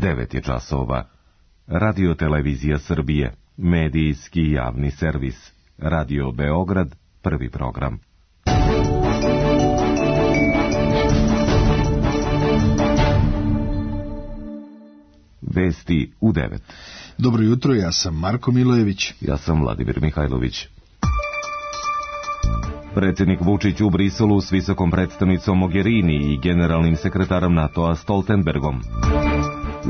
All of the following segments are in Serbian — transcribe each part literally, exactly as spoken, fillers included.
devet je časova. Radio Televizija Srbije, medijski javni servis. Radio Beograd, prvi program. Vesti u devet. Dobro jutro, ja sam Marko Milojević. Ja sam Vladimir Mihajlović. Predsjednik Vučić u Briselu s visokom predstavnicom Mogherini i generalnim sekretarom NATO-a Stoltenbergom.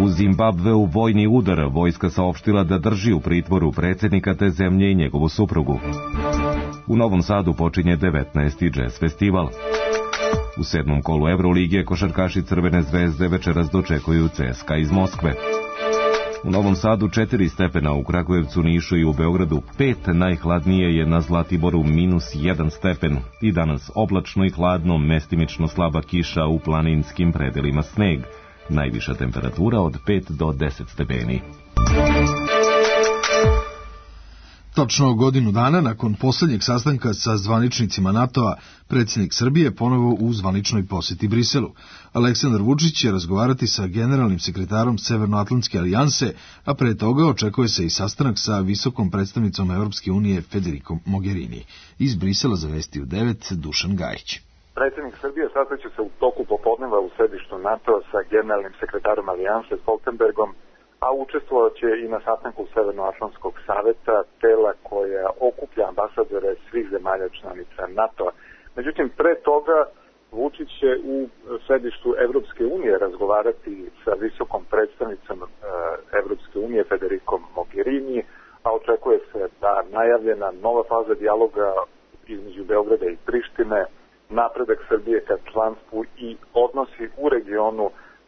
U Zimbabveu vojni udar, vojska saopštila da drži u pritvoru predsjednika te zemlje i njegovu suprugu. U Novom Sadu počinje devetnaesti džez festival. U sedmom kolu Evrolige košarkaši Crvene zvezde večeras dočekuju C S K A iz Moskve. U Novom Sadu četiri stepena, u Kragujevcu, Nišu i u Beogradu pet, najhladnije je na Zlatiboru minus jedan stepen. I danas oblačno i hladno, mestimično slaba kiša, u planinskim predelima sneg. Najviša temperatura od pet do deset stepeni. Točno godinu dana nakon posljednjeg sastanka sa zvaničnicima NATO-a, predsjednik Srbije ponovo u zvaničnoj posjeti Briselu. Aleksandar Vučić će razgovarati sa generalnim sekretarom Severnoatlantske alijanse, a pre toga očekuje se i sastanak sa visokom predstavnicom Evropske unije Federikom Mogherini. Iz Brisela za Vesti u devet, Dušan Gajić. Predsjednik Srbije sastaće se u toku popodneva u sedištu NATO-a sa generalnim sekretarom alijanse Stoltenbergom, a učestvovat će i na sastanku Severnoatlantskog saveta, tela koja okuplja ambasadore svih zemalja članica NATO-a. Međutim, pre toga Vučić će u sedištu Evropske unije razgovarati sa visokom predstavnicom Evropske unije Federikom Mogherini, a očekuje se da najavljena nova faza dijaloga između Beograda i Prištine, napredak Srbije ka članstvu i odnosi u regionu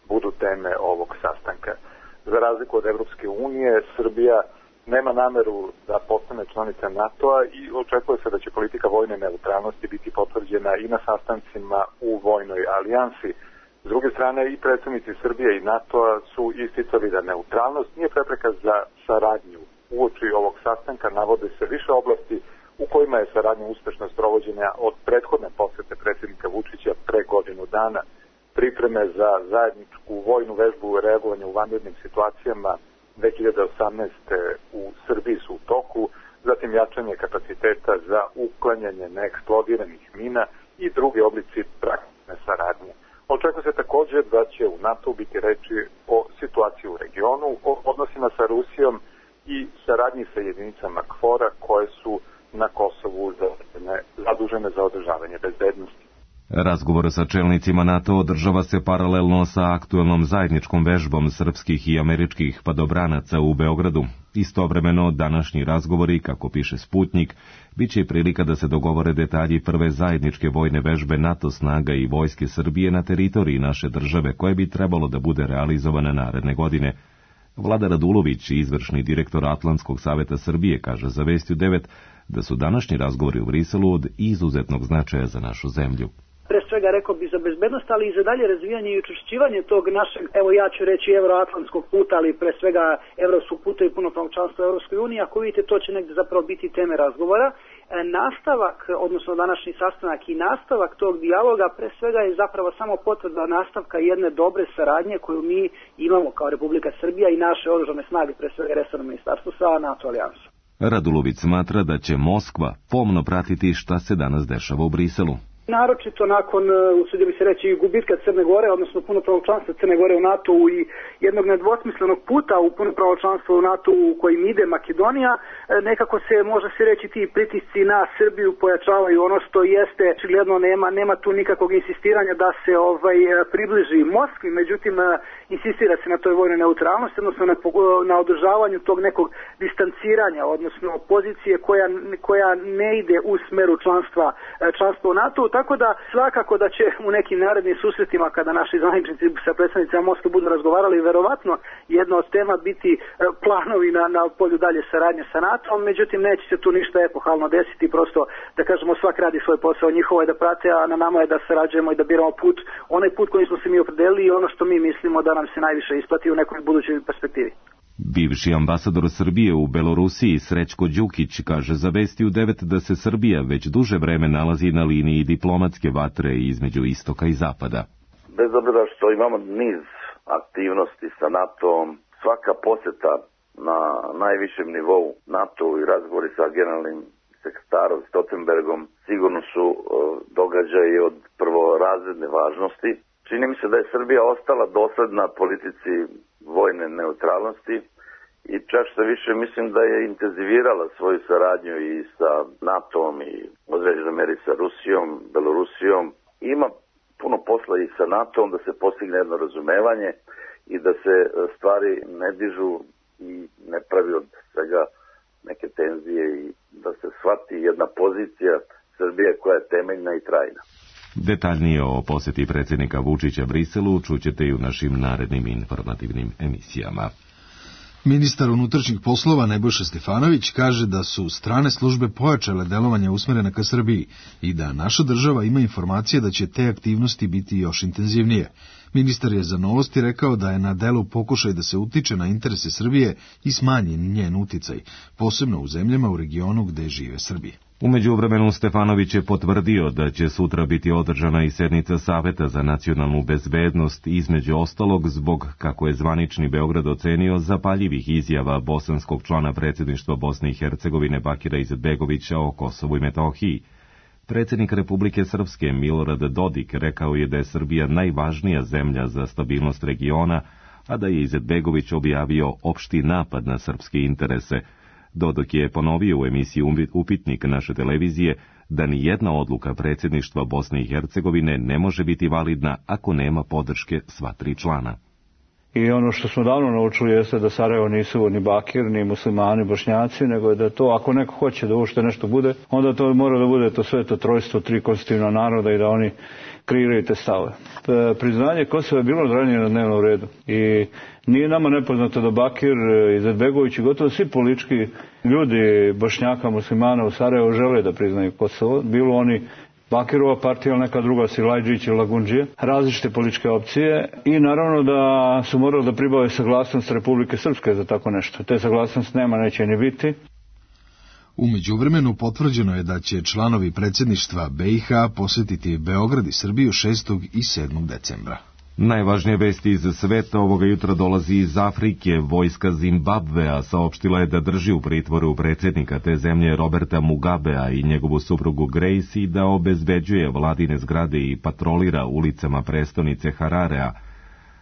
budu teme ovog sastanka. Za razliku od Evropske unije, Srbija nema nameru da postane članica NATO-a i očekuje se da će politika vojne neutralnosti biti potvrđena i na sastancima u vojnoj alijansi. S druge strane, i predstavnici Srbije i NATO-a su isticali da neutralnost nije prepreka za saradnju. Uoči ovog sastanka navode se više oblasti u kojima je saradnja uspešno sprovođena od prethodne posete predsjednika Vučića pre godinu dana. Pripreme za zajedničku vojnu vežbu i reagovanje u vanrednim situacijama dve hiljade osamnaeste. u Srbiji su u toku, zatim jačanje kapaciteta za uklanjanje neeksplodiranih mina i drugi oblici praktične saradnje. Očekuje se također da će u NATO biti reči o situaciji u regionu, o odnosima sa Rusijom i saradnji sa jedinicama KFOR-a koje su na Kosovu zadužene za održavanje bezbednosti. Razgovor sa čelnicima NATO održava se paralelno sa aktuelnom zajedničkom vežbom srpskih i američkih padobranaca u Beogradu. Istovremeno, današnji razgovori, kako piše Sputnik, bit će i prilika da se dogovore detalji prve zajedničke vojne vežbe NATO snaga i vojske Srbije na teritoriji naše države, koje bi trebalo da bude realizovane naredne godine. Vlada Radulović, izvršni direktor Atlantskog saveta Srbije, kaže za Vesti u devet da su današnji razgovori u Briselu od izuzetnog značaja za našu zemlju. Pre svega rekao bi za bezbednost, ali i za dalje razvijanje i učvršćivanje tog našeg, evo ja ću reći euroatlantskog puta, ali pre svega evropskog puta i punopravno članstvo u Evropskoj uniji. Ako vidite, to će negdje zapravo biti teme razgovora. E, nastavak, odnosno današnji sastanak i nastavak tog dijaloga, pre svega je zapravo samo potvrda nastavka jedne dobre saradnje koju mi imamo kao Republika Srbija i naše oružane snage, pre svega resorno ministarstvo sa NATO alijansom. Radulović smatra da će Moskva pomno pratiti šta se danas dešava u Briselu. Naročito nakon, usudio bi se reći, gubitka Crne Gore, odnosno punopravnog članstva Crne Gore u NATO-u i jednog nedvosmislenog puta u punopravno članstvo u NATO-u u kojim ide Makedonija, nekako se, može se reći, ti pritisci na Srbiju pojačavaju. Ono što jeste, očigledno nema, nema tu nikakvog insistiranja da se ovaj približi Moskvi, međutim, insistira se na toj vojnoj neutralnosti, odnosno na, na održavanju tog nekog distanciranja, odnosno pozicije koja, koja ne ide u smeru članstva, članstva u NATO-u. Tako da svakako da će u nekim narednim susretima kada naši zvaničnici sa predstavnicima Moskve budu razgovarali, verovatno jedna od tema biti planovi na, na polju dalje saradnje sa NATO-om, međutim neće se tu ništa epohalno desiti, prosto da kažemo svak radi svoj posao, njihovo je da prate, a na nama je da sarađujemo i da biramo put, onaj put kojim smo se mi opredelili i ono što mi mislimo da nam se najviše isplati u nekoj budućoj perspektivi. Bivši ambasador Srbije u Belorusiji Srećko Đukić kaže za Vesti u devet da se Srbija već duže vreme nalazi na liniji diplomatske vatre između istoka i zapada. Bez obzira što imamo niz aktivnosti sa NATOom. Svaka posjeta na najvišem nivou NATO i razgovori sa generalnim sekretarom Stoltenbergom sigurno su uh, događaji od prvorazredne važnosti. Čini mi se da je Srbija ostala dosledna politici vojne neutralnosti i čak što više mislim da je intenzivirala svoju saradnju i sa NATOom i određenoj meri sa Rusijom, Belorusijom. Ima puno posla i sa NATOom da se postigne jedno razumevanje i da se stvari ne dižu i ne pravi od svega neke tenzije i da se shvati jedna pozicija Srbije koja je temeljna i trajna. Detaljnije o posjeti predsjednika Vučića Briselu čućete i u našim narednim informativnim emisijama. Ministar unutrašnjih poslova Nebojša Stefanović kaže da su strane službe pojačale delovanje usmerene ka Srbiji i da naša država ima informacije da će te aktivnosti biti još intenzivnije. Ministar je za Novosti rekao da je na delu pokušaj da se utiče na interese Srbije i smanji njen uticaj, posebno u zemljama u regionu gde žive Srbi. U međuvremenu Stefanović je potvrdio da će sutra biti održana i sednica Saveta za nacionalnu bezbednost, između ostalog zbog, kako je zvanični Beograd ocenio, zapaljivih izjava bosanskog člana predsjedništva Bosne i Hercegovine Bakira Izetbegovića o Kosovu i Metohiji. Predsjednik Republike Srpske Milorad Dodik rekao je da je Srbija najvažnija zemlja za stabilnost regiona, a da je Izetbegović objavio opšti napad na srpske interese. Dodik je ponovio u emisiji Upitnik naše televizije da ni jedna odluka predsjedništva Bosne i Hercegovine ne može biti validna ako nema podrške sva tri člana. I ono što smo davno naučili jeste da Sarajevo nisu ni Bakir, ni muslimani, bošnjaci, nego je da to, ako neko hoće da uopšte nešto bude, onda to mora da bude to sveto trojstvo, tri konstitutivna naroda i da oni kreiraju te stave. Priznanje Kosova je bilo ranije na dnevnom redu i nije nama nepoznato da Bakir, Izetbegović i gotovo svi politički ljudi Bošnjaka, muslimana u Sarajevu žele da priznaju Kosovo, bilo oni Bakirova partija ili neka druga, Silajđić ili Lagundžije, različite političke opcije i naravno da su morali da pribave saglasnost Republike Srpske za tako nešto. Te saglasnost nema, neće ni biti. U međuvremenu potvrđeno je da će članovi predsjedništva B i H posjetiti Beograd i Srbiju šestog i sedmog decembra. Najvažnije vesti iz sveta ovoga jutra dolazi iz Afrike. Vojska Zimbabvea saopštila je da drži u pritvoru predsjednika te zemlje Roberta Mugabea i njegovu suprugu Grace i da obezbeđuje vladine zgrade i patrolira ulicama prestonice Hararea.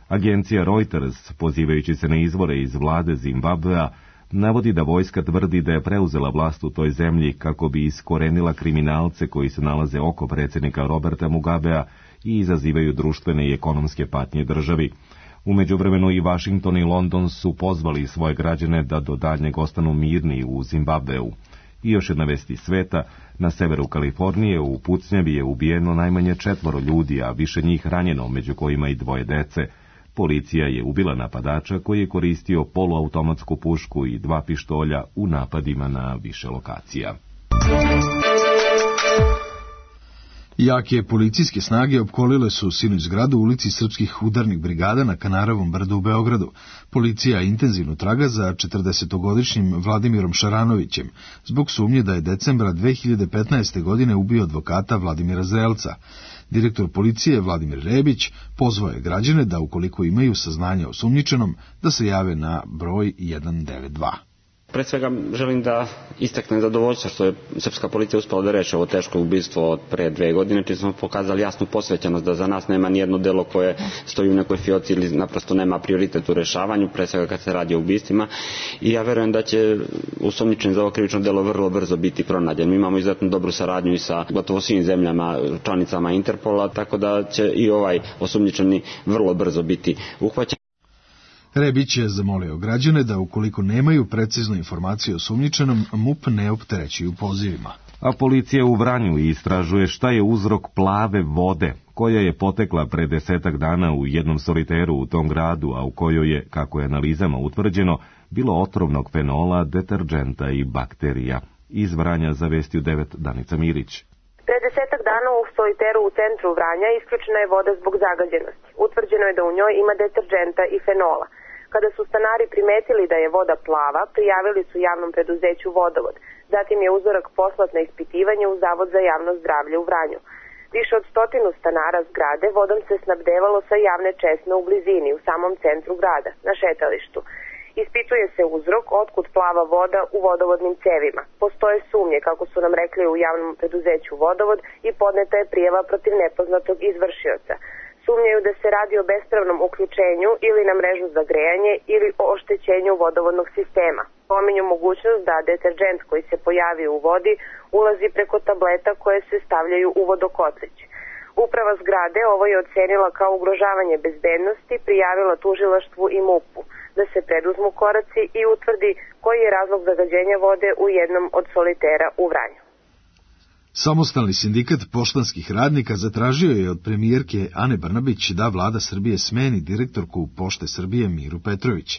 Agencija Reuters, pozivajući se na izvore iz vlade Zimbabvea, navodi da vojska tvrdi da je preuzela vlast u toj zemlji kako bi iskorenila kriminalce koji se nalaze oko predsjednika Roberta Mugabea i izazivaju društvene i ekonomske patnje državi. U međuvremenu i Washington i London su pozvali svoje građane da do daljnjeg ostanu mirni u Zimbabveu. I još jedna vest iz sveta, na severu Kalifornije u pucnjavi je ubijeno najmanje četvoro ljudi, a više njih ranjeno, među kojima i dvoje dece. Policija je ubila napadača koji je koristio poluautomatsku pušku i dva pištolja u napadima na više lokacija. Jake policijske snage opkolile su sinoć zgradu u ulici Srpskih udarnih brigada na Kanarovom brdu u Beogradu. Policija intenzivno traga za četrdesetogodišnjim Vladimirom Šaranovićem, zbog sumnje da je decembra dve hiljade petnaeste. godine ubio advokata Vladimira Zelca. Direktor policije Vladimir Rebić pozvao je građane da, ukoliko imaju saznanja o sumnjičenom, da se jave na broj jedan devet dva. Pre svega želim da istaknem zadovoljstvo što je srpska policija uspela da reši ovo teško ubistvo od pre dve godine, čim smo pokazali jasnu posvećenost da za nas nema nijedno delo koje stoji u nekoj fioci ili naprosto nema prioritet u rešavanju, pre svega kad se radi o ubistvima. I ja verujem da će osumnjičeni za ovo krivično delo vrlo brzo biti pronađen. Mi imamo izuzetno dobru saradnju i sa gotovo svim zemljama, članicama Interpola, tako da će i ovaj osumnjičeni vrlo brzo biti uhvaćen. Rebić je zamolio građane da, ukoliko nemaju preciznu informaciju o sumnjičenom, M U P ne opterećuju pozivima. A policija u Vranju istražuje šta je uzrok plave vode, koja je potekla pre desetak dana u jednom soliteru u tom gradu, a u kojoj je, kako je analizama utvrđeno, bilo otrovnog fenola, deterđenta i bakterija. Iz Vranja za Vesti u devet Danica Mirić. Pre desetak dana u soliteru u centru Vranja isključena je voda zbog zagađenosti. Utvrđeno je da u njoj ima deterđenta i fenola. Kada su stanari primetili da je voda plava, prijavili su javnom preduzeću Vodovod. Zatim je uzorak poslat na ispitivanje u Zavod za javno zdravlje u Vranju. Više od stotinu stanara zgrade vodom se snabdevalo sa javne česme u blizini, u samom centru grada, na šetalištu. Ispituje se uzrok otkud plava voda u vodovodnim cevima. Postoje sumnje, kako su nam rekli u javnom preduzeću Vodovod, i podneta je prijava protiv nepoznatog izvršioca. Sumnjaju da se radi o bespravnom uključenju ili na mrežu za grejanje ili o oštećenju vodovodnog sistema. Pominju mogućnost da deterdžent koji se pojavi u vodi ulazi preko tableta koje se stavljaju u vodokotlić. Uprava zgrade ovo je ocenila kao ugrožavanje bezbednosti, prijavila tužilaštvu i MUP-u da se preduzmu koraci i utvrdi koji je razlog zagađenja vode u jednom od solitera u Vranju. Samostalni sindikat poštanskih radnika zatražio je od premijerke Ane Brnabić da vlada Srbije smeni direktorku Pošte Srbije Miru Petrović.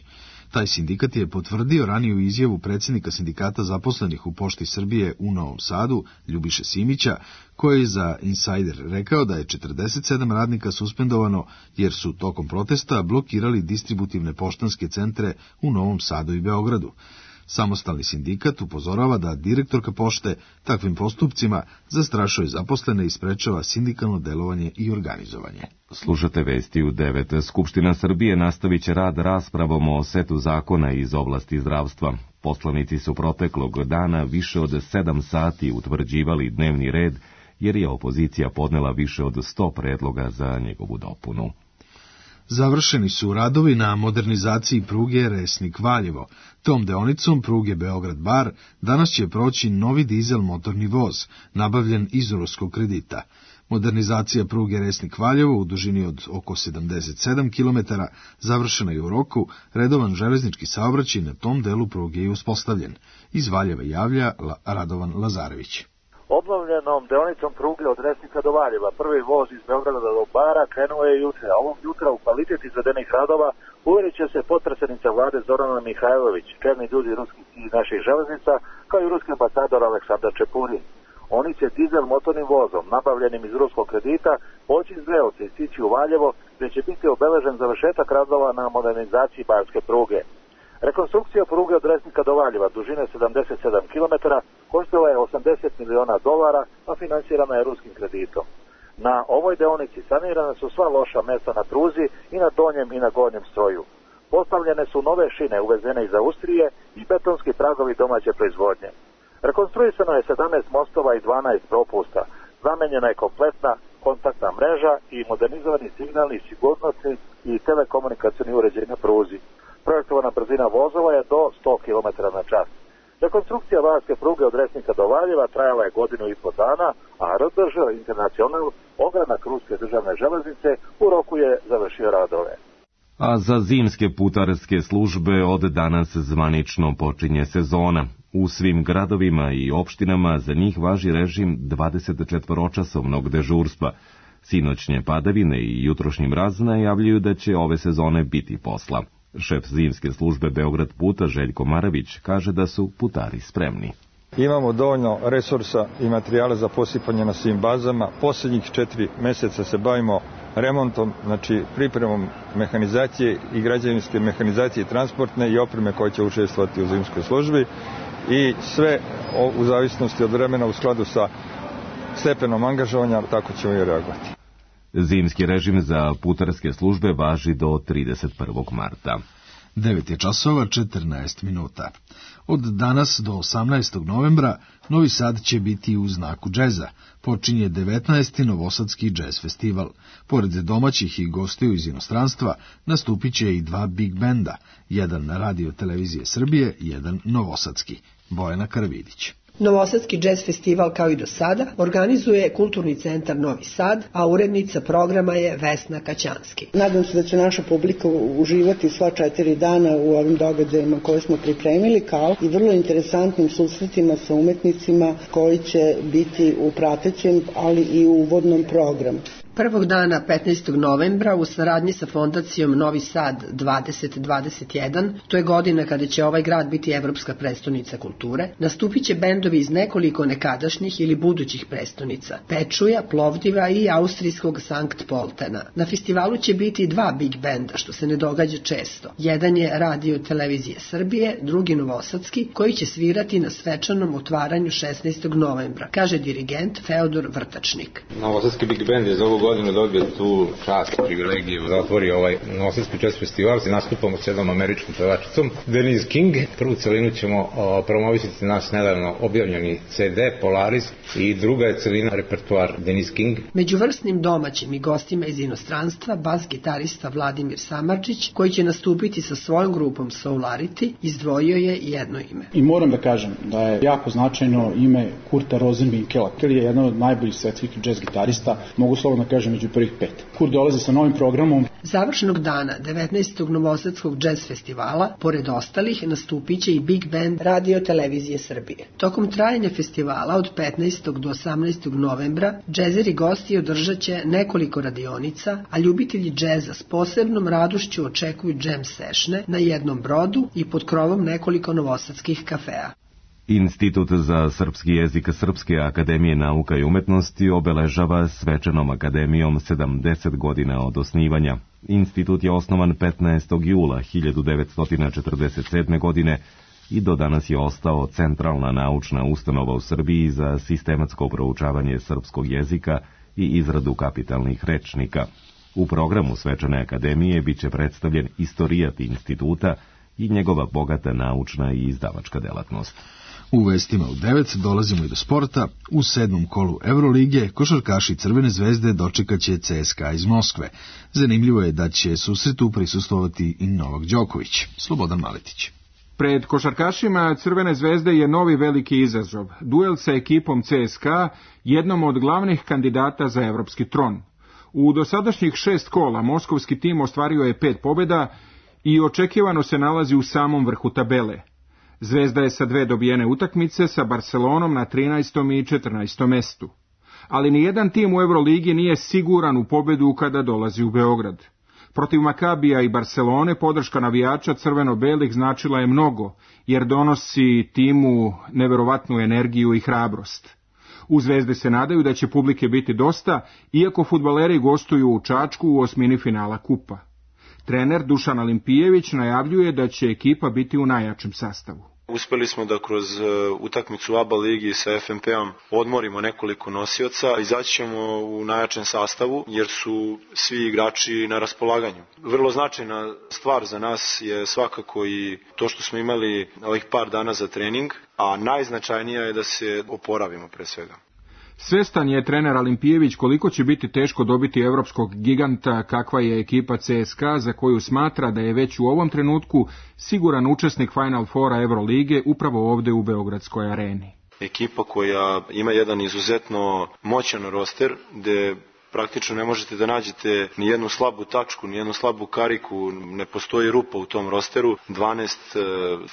Taj sindikat je potvrdio raniju izjavu predsjednika sindikata zaposlenih u Pošti Srbije u Novom Sadu, Ljubiše Simića, koji je za Insider rekao da je četrdeset sedam radnika suspendovano jer su tokom protesta blokirali distributivne poštanske centre u Novom Sadu i Beogradu. Samostalni sindikat upozorava da direktorka pošte takvim postupcima zastrašuje zaposlene i sprečava sindikalno delovanje i organizovanje. Slušate vesti u devet. Skupština Srbije nastavit će rad raspravom o setu zakona iz oblasti zdravstva. Poslanici su proteklog dana više od sedam sati utvrđivali dnevni red, jer je opozicija podnela više od sto predloga za njegovu dopunu. Završeni su radovi na modernizaciji pruge Resnik-Valjevo. Tom deonicom pruge Beograd-Bar danas će proći novi dizel motorni voz, nabavljen iz ruskog kredita. Modernizacija pruge Resnik-Valjevo u dužini od oko sedamdeset sedam kilometara završena je u roku, redovan železnički saobraćaj na tom delu pruge je uspostavljen. Iz Valjeva javlja Radovan Lazarević. Obnovljenom deonicom pruge od Resnika do Valjeva prvi voz iz Beograda do Bara krenuo je juče, a ovog jutra u kvalitet izvedenih radova uvjerit će se potpredsjednica vlade Zorana Mihajlović, čelni ljudi ruskih i naših železnica, kao i ruski ambasador Aleksandar Čepurin. Oni će dizel motornim vozom, nabavljenim iz ruskog kredita, poći iz Beovca i stići u Valjevo, gdje će biti obeležen završetak radova na modernizaciji barske pruge. Rekonstrukcija pruge od Resnika do Valjeva dužine sedamdeset sedam kilometara koštala je osamdeset miliona dolara, a finansirana je ruskim kreditom. Na ovoj deonici sanirane su sva loša mesta na pruzi i na donjem i na gornjem stroju. Postavljene su nove šine uvezene iz Austrije i betonski pragovi domaće proizvodnje. Rekonstruisano je sedamnaest mostova i dvanaest propusta. Zamenjena je kompletna kontaktna mreža i modernizovani signalni, sigurnosni i telekomunikacioni uređaj na pruzi. Projektovana brzina vozova je do sto kilometara na čas. Rekonstrukcija varske pruge od Resnika do Valjeva trajala je godinu i po dana, a R D Ž Internacional, ogranak ruske državne železnice, u roku je završio radove. A za zimske putarske službe od danas zvanično počinje sezona. U svim gradovima i opštinama za njih važi režim dvadesetčetvoročasovnog dežurstva. Sinoćnje padavine i jutrošnji mraz najavljuju da će ove sezone biti posla. Šef zimske službe Beograd puta Željko Maravić kaže da su putari spremni. Imamo dovoljno resursa i materijala za posipanje na svim bazama. Posljednjih četiri mjeseca se bavimo remontom, znači pripremom mehanizacije i građevinske mehanizacije transportne i opreme koje će učestvovati u zimskoj službi i sve u zavisnosti od vremena u skladu sa stepenom angažovanja, tako ćemo i reagovati. Zimski režim za putarske službe važi do trideset prvog marta. devet je časova četrnaest minuta. Od danas do osamnaestog novembra Novi Sad će biti u znaku džeza. Počinje devetnaesti Novosadski džez festival. Pored domaćih i gostiju iz inostranstva nastupit će i dva big benda, jedan na Radio Televizije Srbije, jedan novosadski. Bojana Karavidić. Novosadski džez festival, kao i do sada, organizuje Kulturni centar Novi Sad, a urednica programa je Vesna Kaćanski. Nadam se da će naša publika uživati sva četiri dana u ovim događajima koje smo pripremili, kao i vrlo interesantnim susretima sa umetnicima koji će biti u pratećem, ali i u uvodnom programu. Prvog dana petnaestog novembra u saradnji sa fondacijom Novi Sad dvadeset dvadeset jedan, to je godina kada će ovaj grad biti evropska prestonica kulture, nastupit će bendovi iz nekoliko nekadašnjih ili budućih prestonica, Pečuja, Plovdiva i austrijskog Sankt Poltena. Na festivalu će biti dva big benda, što se ne događa često. Jedan je Radio Televizije Srbije, drugi novosadski, koji će svirati na svečanom otvaranju šesnaestog novembra, kaže dirigent Feodor Vrtačnik. Novosadski big band je za ovu godinu dobio tu čast i privilegiju da otvori ovaj Novosadski jazz festival. Nastupamo s jednom američkom pevačicom, Denise King. Prvu celinu ćemo o, promovisati naš nedavno objavljeni ce de Polaris i druga je celina repertoar Denise King. Među vrsnim domaćim i gostima iz inostranstva bas gitarista Vladimir Samardžić, koji će nastupiti sa svojom grupom Soularity, izdvojio je jedno ime. I moram da kažem da je jako značajno ime Kurta Rosenwinkela, koji je jedan od najboljih svetskih džez gitarista, mogu slobodno kažem među prvih pet. Kurt dolazi sa novim programom. Završnog dana devetnaestog Novosadskog džez festivala, pored ostalih, nastupit će i big band Radio Televizije Srbije. Tokom trajanja festivala od petnaestog do osamnaestog novembra, džezeri gosti održat će nekoliko radionica, a ljubitelji džeza s posebnom radošću očekuju jam sešne na jednom brodu i pod krovom nekoliko novosadskih kafea. Institut za srpski jezik Srpske akademije nauka i umetnosti obeležava svečanom akademijom sedamdeset godina od osnivanja. Institut je osnovan petnaestog jula hiljadu devetsto četrdeset sedme. godine i do danas je ostao centralna naučna ustanova u Srbiji za sistematsko proučavanje srpskog jezika i izradu kapitalnih rečnika. U programu svečane akademije biće predstavljen istorijat instituta i njegova bogata naučna i izdavačka delatnost. U vestima u devet dolazimo i do sporta. U sedmom kolu Eurolige košarkaši Crvene zvezde dočekaće ce es ka a iz Moskve. Zanimljivo je da će susretu prisustvovati i Novak Đoković. Slobodan Maletić. Pred košarkašima Crvene zvezde je novi veliki izazov. Duel sa ekipom ce es ka a, jednom od glavnih kandidata za evropski tron. U dosadašnjih šest kola moskovski tim ostvario je pet pobjeda i očekivano se nalazi u samom vrhu tabele. Zvezda je sa dve dobijene utakmice sa Barcelonom na trinaestom i četrnaestom mestu. Ali nijedan tim u Euroligi nije siguran u pobjedu kada dolazi u Beograd. Protiv Makabija i Barcelone podrška navijača crveno-belih značila je mnogo, jer donosi timu neverovatnu energiju i hrabrost. U Zvezde se nadaju da će publike biti dosta, iako fudbaleri gostuju u Čačku u osmini finala kupa. Trener Dušan Alimpijević najavljuje da će ekipa biti u najjačem sastavu. Uspeli smo da kroz utakmicu u A B A ligi sa F M P-om odmorimo nekoliko nosioca, izaći ćemo u najjačem sastavu jer su svi igrači na raspolaganju. Vrlo značajna stvar za nas je svakako i to što smo imali ovih par dana za trening, a najznačajnija je da se oporavimo pre svega. Svestan je trener Alimpijević koliko će biti teško dobiti evropskog giganta kakva je ekipa ce es ka a, za koju smatra da je već u ovom trenutku siguran učesnik Final Fora Eurolige upravo ovde u Beogradskoj areni. Ekipa koja ima jedan izuzetno moćan roster, gde praktično ne možete da nađete ni jednu slabu tačku, ni jednu slabu kariku, ne postoji rupa u tom rosteru, dvanaest e,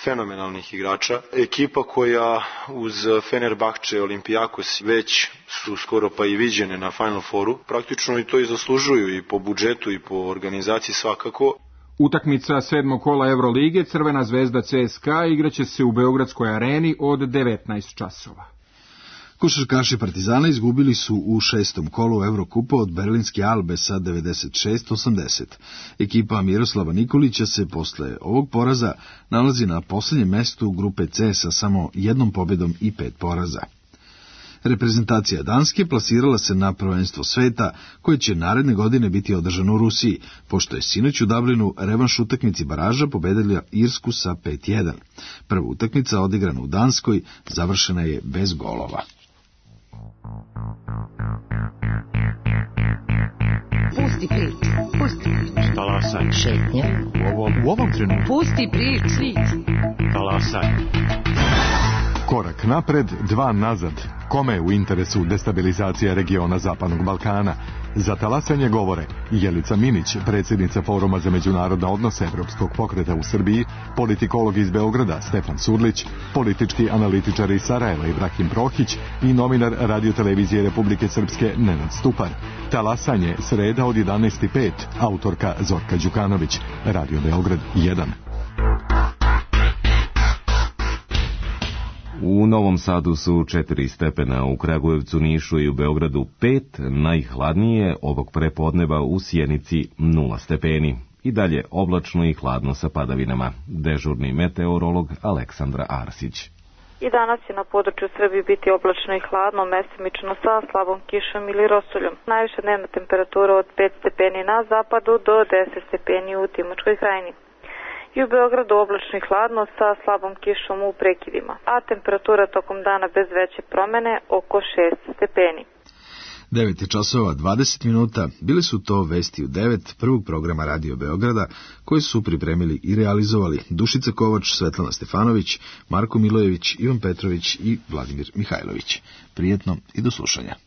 fenomenalnih igrača. Ekipa koja uz Fenerbahče, Olimpijakos već su skoro pa i viđene na Final Fouru, praktično i to i zaslužuju i po budžetu i po organizaciji svakako. Utakmica sedmog kola Eurolige Crvena zvezda ce es ka a igraće se u Beogradskoj areni od devetnaest časova. Košarkaši Partizana izgubili su u šestom kolu Evrokupa od berlinske Albe sa devedeset šest osamdeset. Ekipa Miroslava Nikolića se posle ovog poraza nalazi na poslednjem mestu grupe C sa samo jednom pobedom i pet poraza. Reprezentacija Danske plasirala se na prvenstvo sveta, koje će naredne godine biti održano u Rusiji, pošto je sinoć u Dublinu revanš utakmici baraža pobedila Irsku sa pet jedan. Prva utakmica odigrana u Danskoj završena je bez golova. Pusti priču, pusti priču. Talasaj. Šetnja. U ovom, u ovom trenutku. Pusti priču. Talasaj. Korak napred, dva nazad. Kome je u interesu destabilizacija regiona Zapadnog Balkana? Za talasanje govore Jelica Minić, predsjednica Foruma za međunarodne odnose Evropskog pokreta u Srbiji, politikolog iz Beograda Stefan Surlić, politički analitičar iz Sarajeva Ibrahim Prohić i novinar Radio-televizije Republike Srpske Nenad Stupar. Talasanje sreda od jedanaest i pet, autorka Zorka Đukanović, Radio Beograd jedan. U Novom Sadu su četiri stepena, u Kragujevcu, Nišu i u Beogradu pet, najhladnije ovog prepodneva u Sjenici nula stepeni. I dalje oblačno i hladno sa padavinama. Dežurni meteorolog Aleksandra Arsić. I danas će na području Srbije biti oblačno i hladno, mestimično sa slabom kišom ili rosuljom. Najviša dnevna temperatura od pet stepeni na zapadu do deset stepeni u Timočkoj krajini. I u Beogradu oblačno i hladno sa slabom kišom u prekidima, a temperatura tokom dana bez veće promene oko šest stepeni. devet je časova dvadeset minuta, bili su to vesti u devet prvog programa Radio Beograda, koje su pripremili i realizovali Dušica Kovač, Svetlana Stefanović, Marko Milojević, Ivan Petrović i Vladimir Mihajlović. Prijetno i do slušanja.